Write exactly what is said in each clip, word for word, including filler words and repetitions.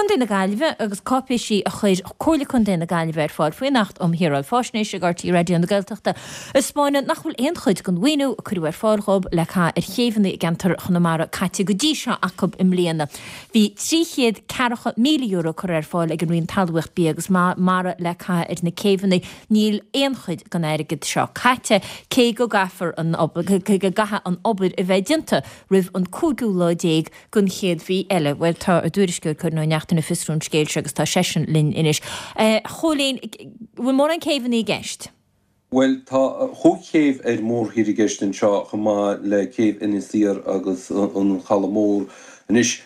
Contae na Gaillimhe agus cáipéisí a chuir Comhairle Contae na Gaillimhe ar fáil faoin Acht um Shaoráil Faisnéise ag R T É Raidió na Gaeltachta a 'spáineann nach bhfuil aon chuid den mhaoiniú a cuireadh ar fáil dhóibh le caitheamh ar chéibheanna i gceantar Chonamara caite go dtí seo acu i mbliana. Bhí trí chéad ceathracha míle euro curtha ar fáil ag an Roinn Talmhaíocht, Bia agus Mara le caitheamh ar na céibheanna. Níl aon chuid den airgead seo caite, cé go gcaithfear an obair, cé go gcaithfidh an obair a bheith déanta roimh an cúigiú lá déag den chéad mhí eile. Bhuel, tá ár dtuairisceoir Cóilín Ó Neachtain ag fiosrú an scéil seo agus tá seisean linn anois. A Chóilín, bhfuil mórán céibheanna i gceist? Bhuel, tá chúig chéibh ar mórthír i gceist anseo, chomh maith le céibh Inis Oírr agus an Chaladh Mór. Anois,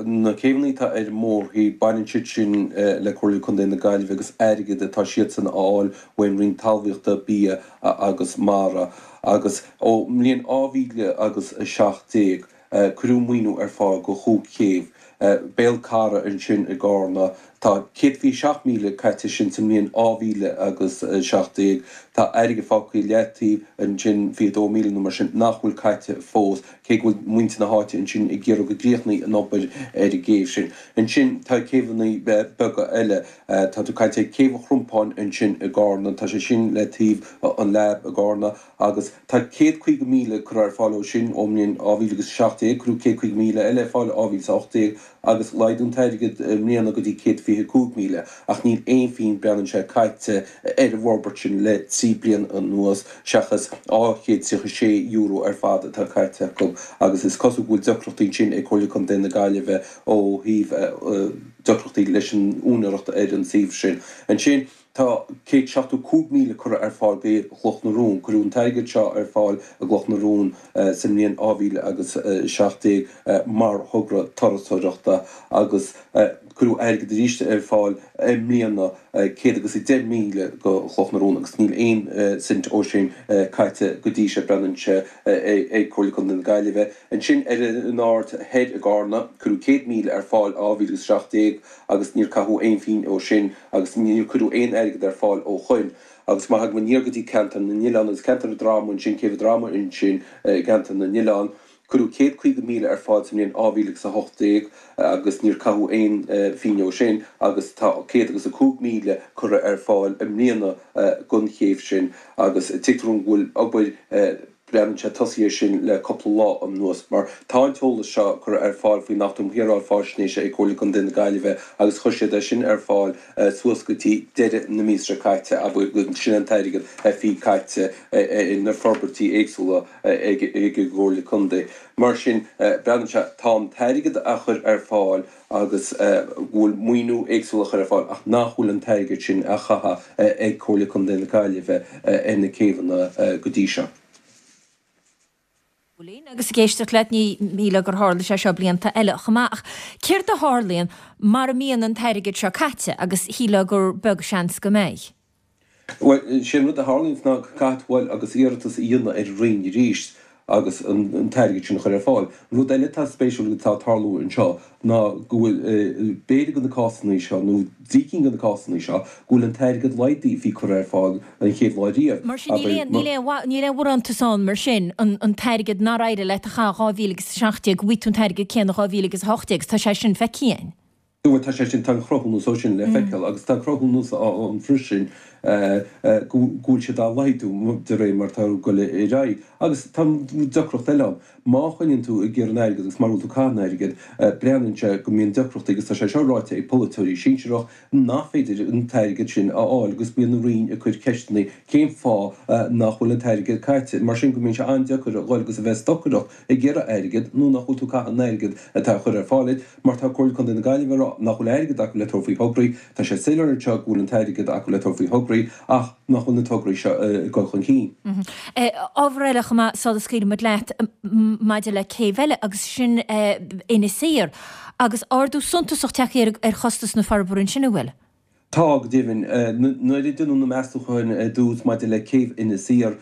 na céibheanna atá ar mórthír, baineann siad sin le Comhairle Contae na Gaillimhe agus airgead atá siadsan a fháil ón Roinn Talmhaíochta, Bia agus Mara. Agus ó mbliain dhá mhíle agus a seacht déag, cuireadh maoiniú ar fáil go chúig chéibh. Béal Cara ansin i gCarna. Tá céad fiche seacht míle caite sin sa mbliain dhá mhíle agus a seacht déag. Tá airgead fágtha i leataobh ansin, fiche dó míle nó mar sin, nach bhfuil caite fós, cé go bhfuil muintir na háite ansin ag iarraidh go gcríochnaí an obair ar an gcéibh sin. Ansin tá céibheanna beaga eile. Tá tú ag caint ar Chéibh an Chrompáin ansin i gCarna. Tá sé sin le taobh an Lab i gCarna agus tá céad caoga míle curtha ar fáil ó sin ón mbliain dhá mhíle agus a seacht déag. Cuireadh céad caoga míle eile ar fáil i dhá mhíle is a hocht déag agus laghdú an t-airgead i mbliana go dtí céad fiche cúig míle ach níl aon phingin breathnaíonn sé caite ar an bhforbairt sin le trí bliana anuas seachas dhá chéad tríocha sé euro ar fad atá caite acu agus is cosúil go bhfuil deacrachtaí ansin ag Comhairle Contae na Gaillimhe ó thaobh deacrachtaí leis an úinéireacht ar an suíomh sin. Ansin tá céad seachtó cúig míle curtha ar fáil go Chloch na Rón. Cuireadh an t-airgead seo ar fáil i gCloch na Rón sa mbliain dhá mhíle agus seacht déag mar thogra turasóireachta agus cuireadh airgead arís ar fáil i mbliana, céad agus a deich míle go Chloch na Rón agus níl aon cent ó sin caite go dtí seo, breathnaíonn sé ag Comhairle Contae na Gaillimhe. Ansin ar an Aird Thoir i gCarna, cuireadh céad míle ar fáil dhá mhíle agus seacht déag agus níor caitheadh aon phingin ó sin agus níor cuireadh aon airgead ar fáil ó shoin. Agus má thagaim aniar go dtí Ceantar na nOileán agus Ceantar an Droma ansin, Céibh an Droma ansin i gCeantar na nOileán, cuireadh céad caoga míle ar fáil sa mbliain dhá mhíle agus a hocht déag agus níor caitheadh aon phingin ó sin agus tá céad agus a cúig míle curtha ar fáil i mbliana don chéibh sin agus tuigtear dúinn go bhfuil obair breathnaíonn sé tosaithe sin le cúpla lá anuas mar tá an t-eolas seo curtha ar fáil faoin Acht um Shaoráil Faisnéise ag Comhairle Contae na Gaillimhe agus chuir siad é sin ar fáil suas go dtí deireadh na míosa seo caite agus sin an t-airgead a bhí caite ar na forbairtí éagsúla ag an gComhairle Contae. Mar sin, breathnaíonn sé, tá an t-airgead á chur ar fáil agus go bhfuil maoiniú éagsúil á chur ar fáil ach nach bhfuil an t-airgead sin á chaitheamh ag Comhairle Contae na Gaillimhe ar na céibheanna go dtí seo. Agus ag éisteacht leat, ní shílfeá gur tharla sé seo blianta eile chomh maith. Ach céard a tharlaíonn mara mbíonn an t-airgead seo caite agus shílfeá gur beag seans go mbeidh? Bhuel, sé an rud a tharlaíonns ná go gcaithfidh tú dul agus iarratas a dhéanamh ar an Roinn arís agus an t-airgead sin a chur ar fáil. An rud eile atá spéisiúil atá ag tarlú anseo ná go bhfuil, b'fhéidir de na cásanna seo, nó trí cinn de na cásanna seo, go bhfuil an t-airgead laghdaithe a bhí curtha ar fáil an chéad lá riamh. Mar sin, níl aon, níl aon, níl aon bharántas ann mar sin, an, an t-airgead nár éirigh leat a chaitheamh dhá mhíle agus a seacht déag, go bhfaighidh tú an t-airgead céanna dhá mhíle agus a hocht déag, agus tá sé sin feicthe againn. Bhuel, tá sé sin, tá an cruthúnas ó sin le feiceáil agus tá cruthúnas ann freisin go bhfuil siad á laghdú de réir mar atá ag dul ar aghaidh. Agus tá deacracht eile ann. Má choinníonn tú ag iarraidh an airgid agus mara bhfuil tú ag caitheamh an airgid, breathnaíonn sé go mbíonn deacrachtaí agus tá sé seo ráite ag polaiteoirí sinsearach nach féidir an t-airgead sin a fháil agus bíonn an Roinn ag cur ceisteanna cén fáth nach bhfuil an t-airgead caite. Mar sin go mbíonn sé an-deacair a dhul agus a bheith ag stocaireacht ag iarraidh airgid nó nach bhfuil tú ag caitheamh an airgid atá á chur ar fáil duit. Mar tá Comhairle Contae na Gaillimhe ag rá nach bhfuil airgead acu le tabhairt faoi thograí, tá sé soiléir anseo go bhfuil an t-airgead acu le tabhairt faoi thograí ach nach bhfuil na tograí seo ag dul chun cinn. Ábhar eile chomh maith sula scaoilfidh muid leat maidir le céibh eile agus sin Inis Oírr agus ardú suntasach tagtha ar chostas na forbartha ansin, an bhfuil? Tá, go deimhin. Nuair a deineadh na meastúcháin ar dtús maidir le céibh Inis Oírr,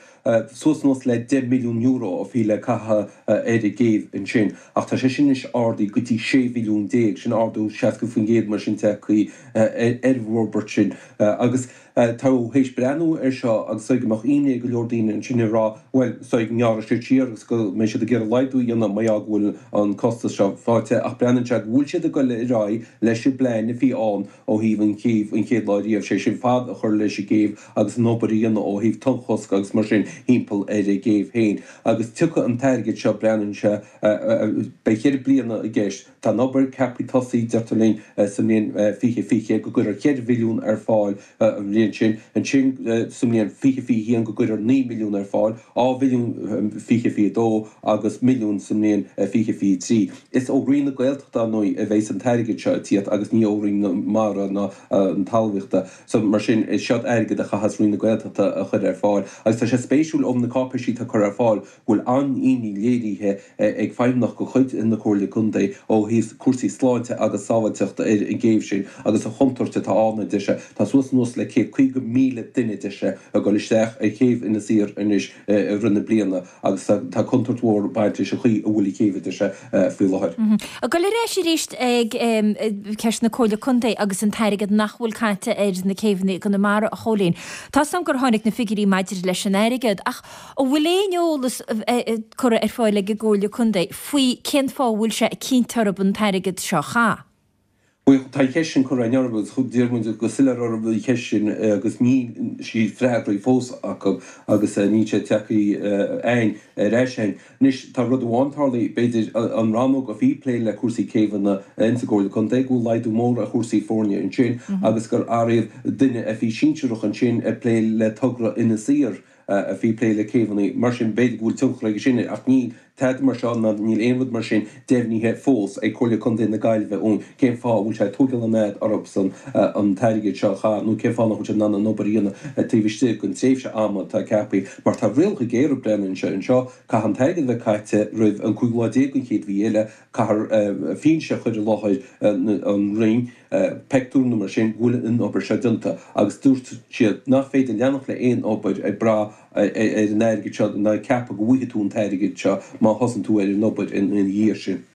suas anuas le deich milliún euro a bhí le caitheamh ar an gcéibh ansin ach tá sé sin anois ardaithe go dtí sé mhilliún déag, sin ardú seasca faoin gcéad mar sin tagtha ar an bhforbairt sin agus tá théis breathnú ar seo agus go mbeadh imní ag go leor daoine ansin ag rá bhuel is dóigh go ngearrfaidh siad siar agus go mbeidh siad ag iarraidh laghdú a dhéanamh mar gheall go bhfuil an costas seo faighte ach breathnaíonn sé go bhfuil siad ag dul ar aghaidh leis an bplean a bhí ann ó thaobh an chéibh an chéad lá riamh, sé sin fad a chur leis an gcéibh agus an obair a dhéanamh ó thaobh tonnchosc agus mar sin thimpeall ar an gcéibh féin agus tiocfaidh an t-airgead seo breathnaíonn sé beidh ceithre bliana i gceist. Tá an obair ceaptha tosaí deirtear linn sa mbliain fiche fiche go gcuirfear ceithre mhilliún ar fáil an bhliain sin, ansin sa mbliain fiche fiche haon go gcuirfear naoi milliún ar fáil, dhá mhilliún fiche fiche dó agus milliún sa mbliain fiche fiche trí. Is ó Roinn na Gaeltachta, ar ndóigh, a bheidhs an t-airgead seo ag tíocht agus ní ó Roinn na Mara ná na Talmhaíochta. So, mar sin, is seod airgead a chaithfeas Roinn na Gaeltachta a chur ar fáil. Agus tá sé spéisiúil ó na cáipéisí atá curtha ar fáil go bhfuil an-imní léirithe ag feidhmeannach de chuid na Comhairle Contae ó thaobh cúrsaí sláinte agus sábháilteachta ar an gcéibh sin agus an chontúirt atá ann, a deir sé. Tá suas anuas le céad caoga míle duine, a deir sé, ag dul isteach ar chéibh Inis Oírr anois i rith na bliana agus tá contúirt mhór ag baint leis an chaoi a bhfuil an chéibh, a deir sé, faoi láthair. Ag dul ar ais arís ag ceist na Comhairle Contae agus an t-airgead nach bhfuil caite ar na céibheanna i gConamara, a Chóilín. Tá 's agam gur tháinig na figiúirí maidir leis an airgead ach An bhfuil aon eolas curtha ar fáil ag an gComhairle Contae faoi cén fáth a bhfuil sé ag cinnt orthu an t-airgead seo a chaitheamh? Bhuel, tá an cheist sin curtha againn orthu agus d'iarr muid go soiléir orthu an cheist sin agus níl sí freagraithe fós acu agus níl sé tagtha againn ar ais againn. Anois, tá rud amháin tarlaithe, b'fhéidir, an rannóg a bhí ag plé le cúrsaí céibheanna insa gComhairle Contae, go bhfuil laghdú mór ar chúrsaí foirne ansin agus gur athraíodh duine a bhí sinsearach ansin ag plé le togra Inis Oírr. a bhí ag plé le céibheanna. Mar sin, b'fhéidir go bhfuil tionchar aige sin, ach níl tada mar seo ná níl aon rud mar sin deimhnithe fós ag Comhairle Contae na Gaillimhe ón cén fáth a bhfuil sé ag tógáil an fhad orthusan an t-airgead seo a chaitheamh nó cén fáth nach bhfuil siad in ann an obair a dhéanamh taobh istigh den tréimhse ama atá ceaptha. Mar tá rialacha géara breathnaíonn sé anseo, caithfidh an t-airgead a bheith caite roimh an cúigiú lá déag den chéad mhí eile, caithfear fianaise a chur i láthair an Roinn, pictiúr nó mar sin, go bhfuil an obair seo déanta agus dúirt siad nach féidir leanacht le aon obair ag brath ar an airgead seo ná ag ceapadh go bhfaighidh tú an t-airgead seo má thosaíonn tú ar an obair ina dhiaidh sin.